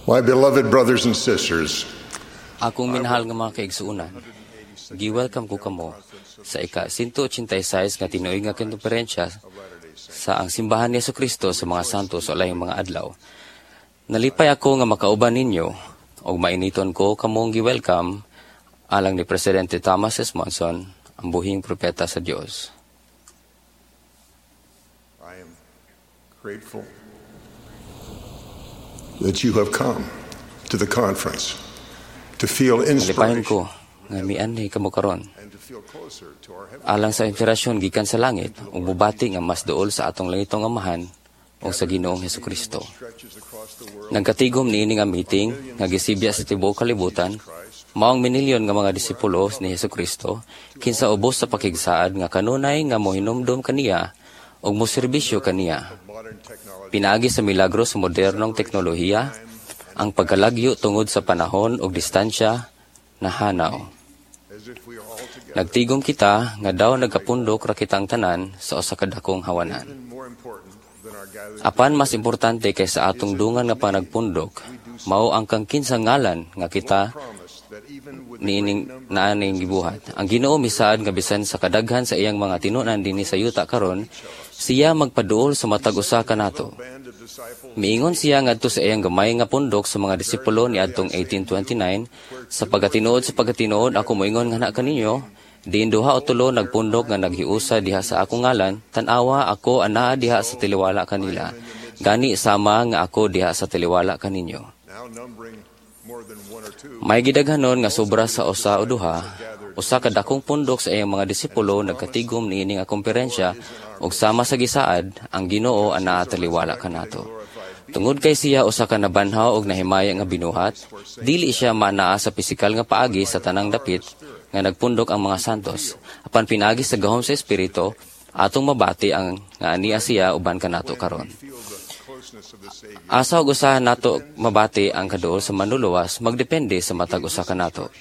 My beloved brothers and sisters, Akong minahal nga mga kaigsuonan, gi-welcome ko kamo sa ika-186 nga tinuig nga konferensya sa ang Simbahan ni Kristo sa mga Santos sa Ulayong mga Adlaw. Nalipay ako nga makauban ninyo ug mainiton ko kamong gi-welcome alang ni Presidente Thomas S. Monson, ang buhing propeta sa Dios. I am grateful that you have come to the conference to feel Nalipayon inspiration ko nga mianhi kamo karon and to feel closer to our heavenly alang sa inspirasyon gikan sa langit ug mubati nga mas duol sa atong langitong Amahan ug sa Ginoong Hesukristo. Stretches across the world. Nagkatigom niini nga meeting nga gisibya sa tibuok kalibutan, maong minilyon nga mga disipulo ni Hesukristo kinsa ubos sa pakigsaad nga kanunay nga mohinumdom kaniya ug moserbisyo kaniya. Modern technology Pinaagi sa milagro sa modernong teknolohiya, ang pagkalagyo tungod sa panahon ug distansya nahanaw. As if we are all together. Nagtigom kita nga daw nagkapundok ra kitang tanan sa usa ka dakong hawanan. Even more important than our gathering Apan mas importante kaysa atong dungan nga panagpundok, mao ang kang kinsa ngalan nga kita promise that even with the niining naaning gibuhat. Ang Ginoo misaad nga bisan sa kadaghan sa iyang mga tinunan dinhi sa yuta karon, siya magpaduol sa matag usa kanato. Band of disciples, Miingon siya ngadto sa iyang gamay nga pundok sa mga disipulo niadtong 1829, "Sa pagkatinuod, sa pagkatinuod, ako moingon nga kaninyo, diin duha o tulo nagpundok nga naghiusa diha sa akong ngalan, tan-awa, ako anaa diha sa taliwala kanila. Gani sama nga ako diha sa taliwala kaninyo." Now numbering more than one or two, May gidaghanon nga sobra sa usa o duha, usa ka dakong pundok sa iyang mga disipulo nagkatigom niini nga komperensya ug sama sa gisaad, ang Ginoo anaa taliwala kanato. Tungod kay siya usa ka nabanhaw og nahimaya nga binuhat, dili siya manaa sa pisikal nga paagi sa tanang dapit nga nagpundok ang mga santos. Apan pinaagi sa gahom sa Espiritu, atong mabati ang nga ania siya uban kanato karon. Feel the closeness of the Savior. Asa ug usaha nato mabati ang kaduol sa Manluluwas magdepende sa matag usa kanato.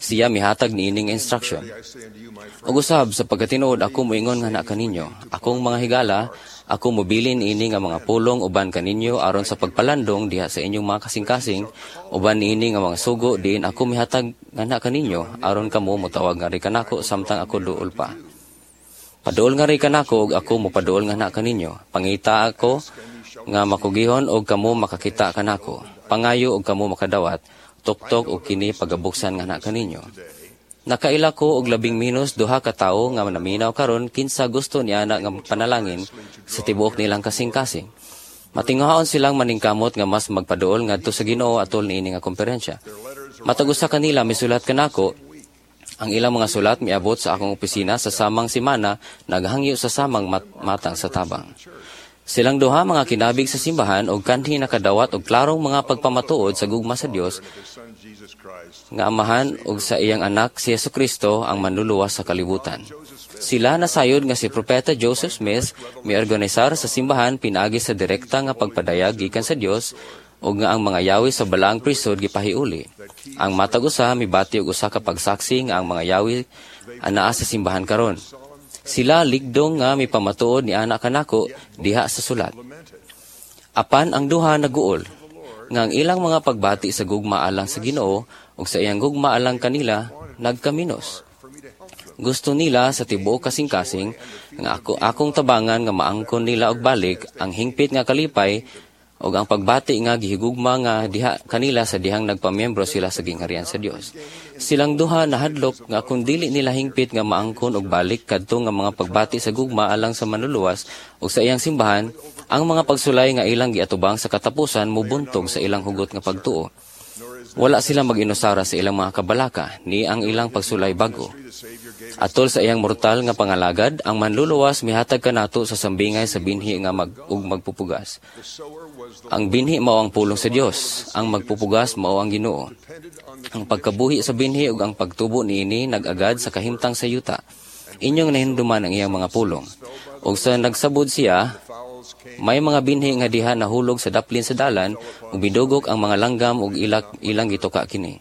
Siya mihatag niining instruction. I say unto you, my friends, Ug usab, sa pagkatinuod ako moingon nga kaninyo, akong mga higala, ako mobilin ini nga mga pulong uban kaninyo aron sa pagpalandong diha sa inyong mga kasing-kasing uban niini nga mga sugo diin ako mihatag nga kaninyo aron kamo motawag ngari kanako samtang ako duol pa. Paduol ngari kanako ug ako mopaduol nga kaninyo. Pangita ako nga makugihon og kamo makakita kanako. Pangayo og kamo makadawat. Tuktok og kini pagabuksan nga kaninyo. Nakaila ko og labing minus duha ka tawo nga naminaw karon kinsa gusto niya na nga panalangin sa tibuok nilang kasing-kasing. Matingaon silang maningkamot nga mas magpaduol ngadto sa Ginoo atol niini nga komperensya. Matag usa kanila misulat kanako. Ang ilang mga sulat miabot sa akong opisina sa samang simana, naghangyo sa samang matang sa tabang. Silang duha mga kinabig sa simbahan og kanhi nakadawat og klarong mga pagpamatuod sa gugma sa Dios the Son Jesus Christ, nga Amahan ug sa iyang anak si Jesucristo, ang Manluluwas sa kalibutan. Sila nasayod nga si Propeta Joseph Smith miorganisar sa simbahan pinaagi sa direkta nga pagpadayag gikan sa Dios ug nga ang mga yawi sa balaang prisod gipahiuli. Ang matag usa mibati og usa ka pagsaksi nga ang mga yawi anaa sa simbahan karon. Sila ligdong nga mipamatuod ni ana kanako diha sa sulat. Lamented. Apan ang duha naguol nga ang ilang mga pagbati sa gugma alang sa Ginoo ug sa iyang gugma alang kanila nagkaminos. For me to help them. Gusto nila sa tibuok kasing-kasing nga ako akong tabangan nga maangkon nila og balik ang hingpit nga kalipay ug ang pagbati nga gihigugma nga diha kanila sa dihang nagpamiyembro sila sa gingharian sa Dios. Silang duha nahadlok nga kung dili nila hingpit nga maangkon og balik kadto nga mga pagbati sa gugma alang sa Manluluwas ug sa iyang simbahan, ang mga pagsulay nga ilang giatubang sa katapusan mubuntog sa ilang hugot nga pagtuo. Wala sila mag-inusara sa ilang mga kabalaka ni ang ilang pagsulay bag-o. The Savior gave Atol sa iyang mortal nga pangalagad, ang Manluluwas mihatag kanato sa sambingay sa binhi nga ug magpupugas. The sower was the Ang binhi mao ang pulong sa Dios, ang magpupugas mao ang Ginoo. Depended on the Ang pagkabuhi sa binhi ug ang pagtubo niini nag-agad sa kahimtang sa yuta. Inyong nahinumduman ang iyang mga pulong. Ug sa nagsabod siya, fowls came may mga binhi nga diha nahulog sa daplin sa dalan ug bidugok ang mga langgam ug ilang gituka kini.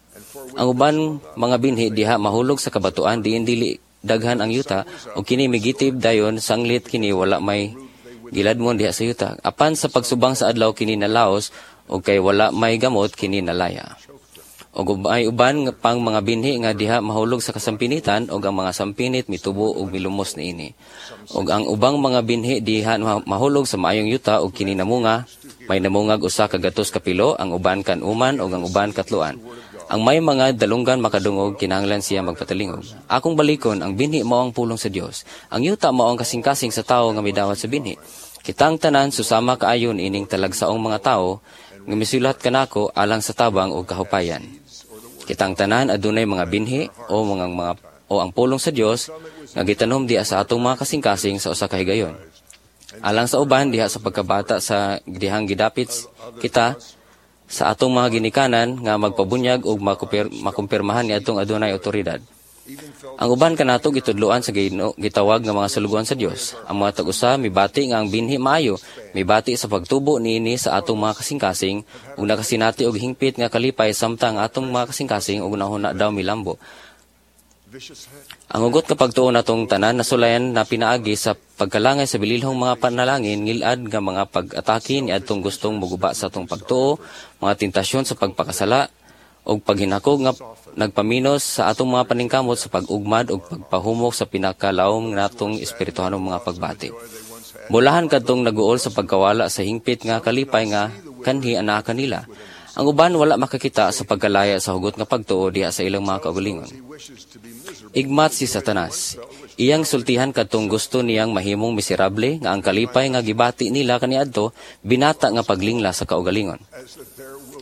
Ang uban mga binhi diha mahulog sa kabatuan diin dili daghan ang yuta ug kini migitib dayon sanglit kini wala may giladmon diha sa yuta. Apan sa pagsubang sa adlaw kini nalaos ug kay wala may gamot kini nalaya. Ug may uban pang mga binhi nga diha mahulog sa kasampinitan, ug ang mga sampinit mitubo ug milumos niini. Ug ang ubang mga binhi diha mahulog sa maayong yuta ug kini namunga, may namungag 100 ka pilo, ang uban kan-uman ug ang uban katloan. Ang may mga dalunggan makadungog, kinahanglan siya magpatalingog. Akong balikon, ang binhi mao ang pulong sa Dios. Ang yuta mao ang kasing-kasing sa tawo nga midawat sa binhi. Kitang tanan susama kaayo ining talagsaong mga tawo nga misulat kanako alang sa tabang ug kahupayan. Kitang tanan adunay mga binhi o mga o ang pulong sa Dios nga gitanom diha sa atong mga kasing-kasing sa usa ka higayon. Alang sa uban diha sa pagkabata sa dihang gidapit kita sa atong mga ginikanan nga magpabunyag ug makumpirmahan niadtong adunay otoridad. Ang uban kanato gitudloan sa Ginoo, gitawag nga mga sulugoon sa Dios. Ang mga tag-usa mibati nga ang binhi maayo, mibati sa pagtubo niini sa atong mga kasing-kasing ug nakasinati og hingpit nga kalipay samtang ang atong mga kasing-kasing ug nahuna daw milambo. Ang hugot nga pagtuo natong tanan nasulayan na pinaagi sa pagkalangay sa bililhong mga panalangin, ngilad nga mga pag-atake niadtong gustong muguba sa atong pagtuo, mga tentasyon sa pagpakasala ug paghinakog nga nagpaminos sa atong mga paningkamot sa pag-ugmad ug pagpahumok sa pinakalawom natong espirituhanong mga pagbati. Bulahan kadtong naguol sa pagkawala sa hingpit nga kalipay nga kanhi anaa kanila. Ang uban wala makakita sa pagkalaya sa hugot nga pagtuo diha sa ilang mga kaugalingon. Igmat si Satanas. Iyang sultihan kadtong gusto niyang mahimong miserable nga ang kalipay nga gibati nila kaniadto binata nga paglingla sa kaugalingon.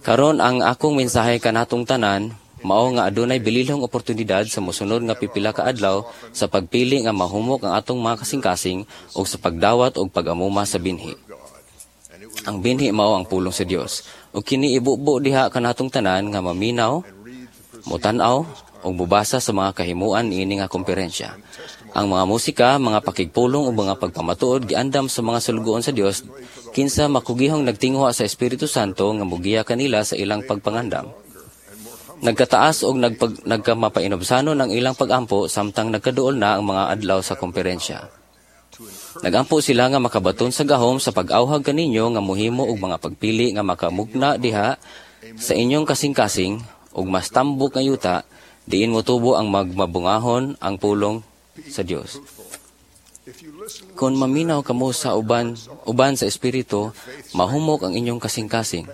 Karon, ang akong mensahe kanatong tanan mao nga adunay bililhong oportunidad sa mosunod nga pipila ka adlaw sa pagpili nga mahumok ang atong mga kasing-kasing ug sa pagdawat og pag-amuma sa binhi. Ang binhi mao ang pulong sa Dios. Ug kini ibubo diha kanatong tanan nga maminaw, mutan-aw ug mubasa sa mga kahimuan niini nga komperensya. Ang mga musika, mga pakigpulong ug mga pagpamatuod giandam sa mga sulugoon sa Dios kinsa makugihong nagtinguha sa Espiritu Santo nga mugiya kanila sa ilang pagpangandam. Nagkataas og nagkamapainubsanon ang ilang pagampo samtang nagkaduol na ang mga adlaw sa komperensya. Nagampo sila nga makabaton sa gahom sa pag-awhag kaninyo nga muhimo og mga pagpili nga makamugna diha sa inyong kasing-kasing ug mas tambok nga yuta diin motubo ang magmabungahon ang pulong sa Dios. Kung maminaw kamo sa uban uban sa espiritu, mahumok ang inyong kasing-kasing,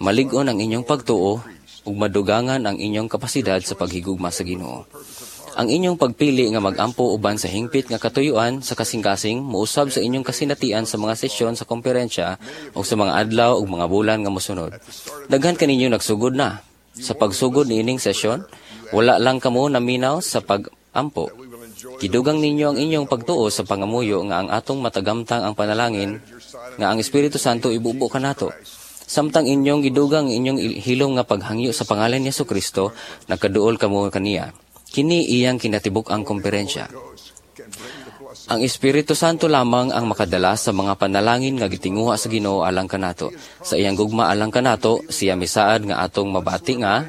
malig-on ang inyong pagtuo ug madugangan ang inyong kapasidad sa paghigugma sa Ginoo. Ang inyong pagpili nga magampo uban sa hingpit nga katuyuan sa kasing-kasing muusab sa inyong kasinatian sa mga sesyon sa komperensya o sa mga adlaw ug mga bulan nga mosunod. Daghan kaninyo nagsugod na. Sa pagsugod niining sesyon, wala lang kamo naminaw sa pagampo. Gidugang ninyo ang inyong pagtuo sa pangamuyo nga ang atong matagamtang ang panalangin nga ang Espiritu Santo ibubo kanato. Samtang inyong gidugang ang inyong hilom nga paghangyo sa pangalan ni Kristo, nagkaduol kamo kaniya. Kini iyang kinatibuk ang komperensya. Ang Espiritu Santo lamang ang makadala sa mga panalangin nga gitinguha sa Ginoo alang kanato. Sa iyang gugma alang kanato, siya misaad nga atong mabati nga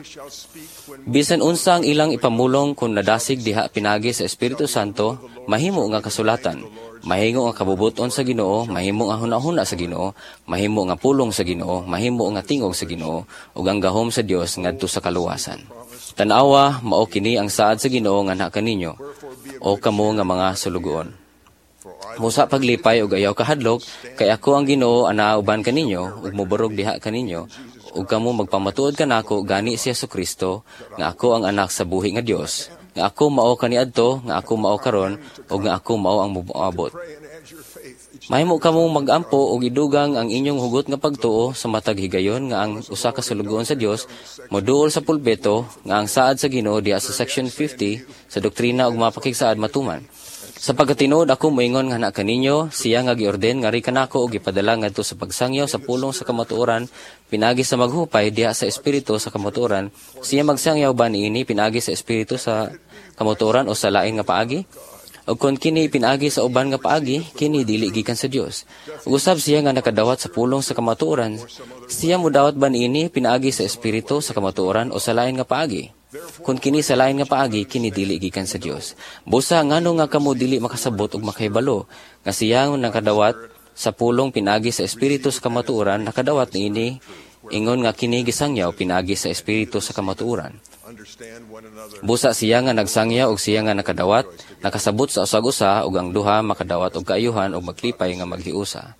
bisan unsa ang ilang ipamulong, kung nadasig diha pinagi sa Espiritu Santo, mahimo nga kasulatan, mahimo nga kabubuton sa Ginoo, mahimo nga hunahuna sa Ginoo, mahimo nga pulong sa Ginoo, mahimo nga tingog sa Ginoo ug ang gahom sa Dios ngadto sa kaluwasan. Tan-awa, mao kini ang saad sa Ginoo nganha kaninyo, o kamo nga mga sulugoon. Musa paglipay ug ayaw kahadlok, kay ako ang Ginoo anaa uban kaninyo ug mobarog diha kaninyo ug kamo magpamatuod kanako, gani si Kristo, nga ako ang anak sa buhi nga Dios, nga ako mao kaniadto, nga ako mao karon ug nga ako mao ang moabot. Mahimo kamo magampo og idugang ang inyong hugot nga pagtuo sa matag higayon nga ang usa ka sulugoon sa Dios moduol sa pulpito nga ang saad sa Ginoo diha sa section 50 sa Doktrina ug mga Pakigsaad matuman. Sa pagkatinuod ako moingon nga kaninyo, siya nga giorden ngari kanako og gipadala ngadto sa pagsangyaw sa pulong sa kamatuoran pinagi sa maghupay diha sa espiritu sa kamatuoran, siya magsangyaw ba niini pinagi sa espiritu sa kamatuoran o sa lain nga paagi? O kung kini pinaagi sa uban nga paagi, kini dili gikan sa Dios. Ug usab siya nga nakadawat sa pulong sa kamatuoran, siya modawat ba niini pinaagi sa espiritu sa kamatuoran o sa lain nga paagi? Kung kini sa lain nga paagi, kini dili gikan sa Dios. Busa ngano nga kamo dili makasabot ug makahibalo nga siya nga nakadawat sa pulong pinagi sa espiritu sa kamatuoran nakadawat niini Ingon nga kini gisangyaw pinaagi sa Espiritu sa kamatuoran. Busa siya nga nagsangyaw og siya nga nakadawat, nakasabot sa usag-usa ug ang duha makadawat og kaayuhan ug maglipay nga maghiusa.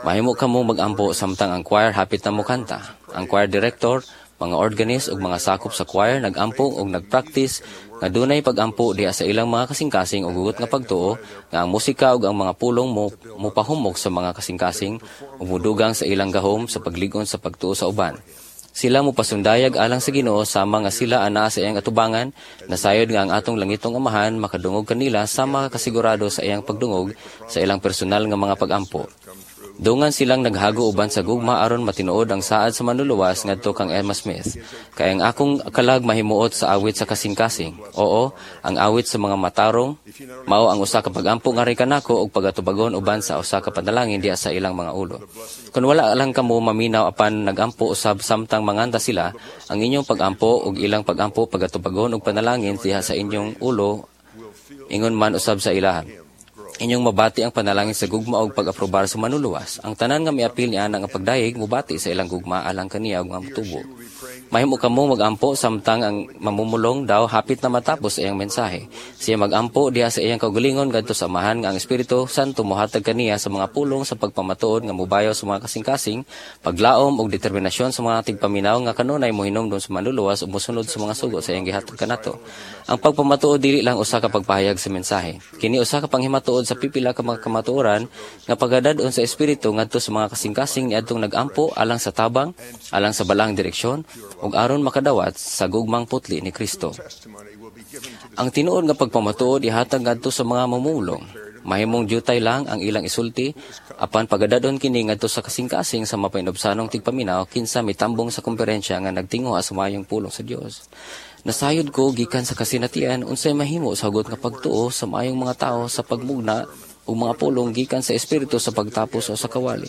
Mahimo kamo magampo samtang ang choir hapit na mokanta. Ang choir director, mga organist ug mga sakop sa choir nagampo ug nagpractice nga dunay pagampo diha sa ilang mga kasing-kasing ug hugot nga pagtuo nga ang musika ug ang mga pulong mo mopahumok sa mga kasing-kasing ug modugang sa ilang gahom sa paglig-on sa pagtuo sa uban. Sila mopasundayag alang sa Ginoo sama nga sila anaa sa iyang atubangan, nasayod nga ang atong langitong Amahan makadungog kanila sama kasigurado sa iyang pagdungog sa ilang personal nga mga pagampo. Dungan silang naghago uban sa gugma aron matinuod ang saad sa Manluluwas ngadto kang Emma Smith. Kay ang akong kalag mahimuot sa awit sa kasing-kasing. Oo, ang awit sa mga matarong mao ang usa ka pagampo nga kanako og pagatubagon uban sa usa ka panalangin diha sa ilang mga ulo. Kun wala lang kamo maminaw apan nagampo usab samtang manganta sila, ang inyong pagampo ug ilang pagampo pagatubagon og panalangin diha sa inyong ulo ingon man usab sa ilahan. Inyong mabati ang panalangin sa gugma og pag-aprobar sa Manluluwas. Ang tanan nga miapil niya nga pagdayeg mobati sa ilang gugma alang kaniya ug mga motubo. Mahimo kamo magampo samtang ang mamumulong daw hapit na matapos sa iyang mensahe. Siya magampo diha sa iyang kaugalingon ngadto sa Amahan nga ang Espiritu Santo mohatag kaniya sa mga pulong sa pagpamatuod nga mobayaw sa mga kasing-kasing, paglaom ug determinasyon sa mga tigpaminaw nga kanunay mohinomdom sa Manluluwas ug mosunod sa mga sugo sa iyang gihatag kanato. Ang pagpamatuod dili lang usa ka pagpahayag sa mensahe. Kini usa ka panghimatuod sa pipila ka mga kamatuoran nga pagadad-on sa Espiritu ngadto sa mga kasing-kasing niadtong nagampo alang sa tabang, alang sa balaang direksyon ug aron makadawat sa gugmang putli ni Kristo. Ang tinuod nga pagpamatuod ihatag ngadto sa mga mamumulong. Mahimong jutay lang ang ilang isulti apan pagadadon kini ngadto sa kasing-kasing sa mapainubsanong tigpaminaw kinsa mitambong sa komperensya nga nagtinguha sa maayong pulong sa Dios. Nasayod ko gikan sa kasinatian unsay mahimo sa hugot nga pagtuo sa maayong mga tawo sa pagmugna ug mga pulong gikan sa Espiritu sa pagtapos o sa kawali.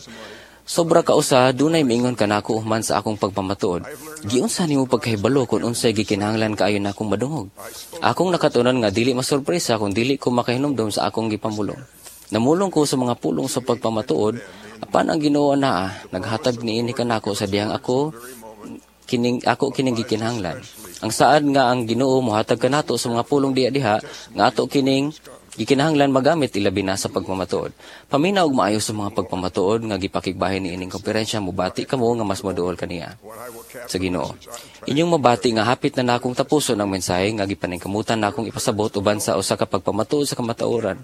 Sobra ka usa dunay miingon kanako human sa akong pagpamatuod. Giunsa nimo pagkahibalo kung unsay gikinahanglan kaayo nakong madungog? Akong nakatunan nga dili masurpresa kung dili ko makahinumdom sa akong gipamulong. Namulong ko sa mga pulong sa pagpamatuod apan ang Ginoo naa naghatag niini kanako sa dihang ako kining gikinahanglan. Ang saad nga ang Ginoo mohatag kanato sa mga pulong diha diha nga ato kining gikinahanglan magamit ilabi na sa pagpamatuod. Paminaw og maayo sa mga pagpamatuod nga gipakigbahin niining komperensya, mobati kamo nga mas moduol kaniya sa Ginoo. Inyong mabati nga hapit na nakong tapuson ang mensahe nga gipaningkamutan nakong ipasabot uban sa usa ka pagpamatuod sa kamatuoran.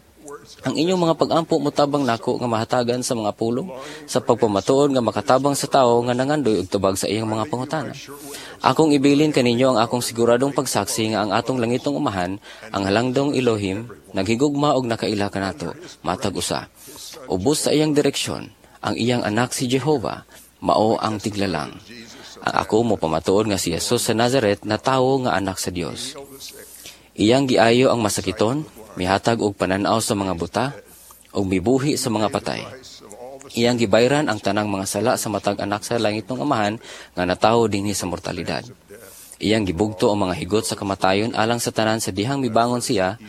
Ang inyong mga pagampo motabang nako nga mahatagan sa mga pulong sa pagpamatuod nga makatabang sa tawo nga nangandoy og tubag sa iyang mga pangutana. Akong ibilin kaninyo ang akong siguradong pagsaksi nga ang atong langitong Amahan, ang halangdong Elohim, naghigugma og nakaila kanato matag usa. Ubos sa iyang direksyon, ang iyang anak si Jehova, mao ang tiglalang. Ang ako mopamatuod nga si Jesus sa Nazaret na tawo nga anak sa Dios. Iyang giayo ang masakiton, mihatag og pananaw sa mga buta, ug mibuhi sa mga patay. Iyang gibayran ang tanang mga sala sa matag anak sa langitong Amahan nga natawo dinhi sa mortalidad. Iyang gibugto ang mga higot sa kamatayon alang sa tanan sa dihang mibangon siya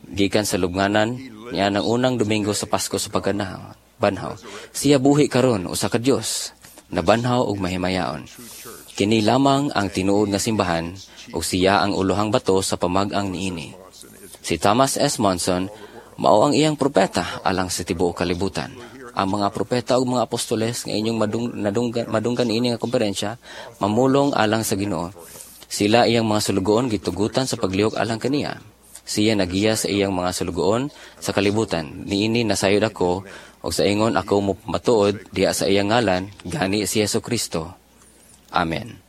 gikan sa lubnganan niya ng unang Domingo sa Pasko sa pagkanaw. Banhaw. Siya buhi karon usa ka Dios, nabanhaw ug mahimayaon. Kini lamang ang tinuod nga simbahan ug siya ang ulohang bato sa pamag-ang niini. Si Thomas S. Monson mao ang iyang propeta alang sa tibuok kalibutan. Ang mga propeta ug mga apostoles nga inyong madunggan niini nga komperensya mamulong alang sa Ginoo. Sila iyang mga sulugoon gitugutan sa paglihok alang kaniya. Siya nagiya sa iyang mga sulugoon sa kalibutan. Niini nasayod ako ug sa ingon ako matuod diha sa iyang ngalan, gani si Jesu Kristo. Amen.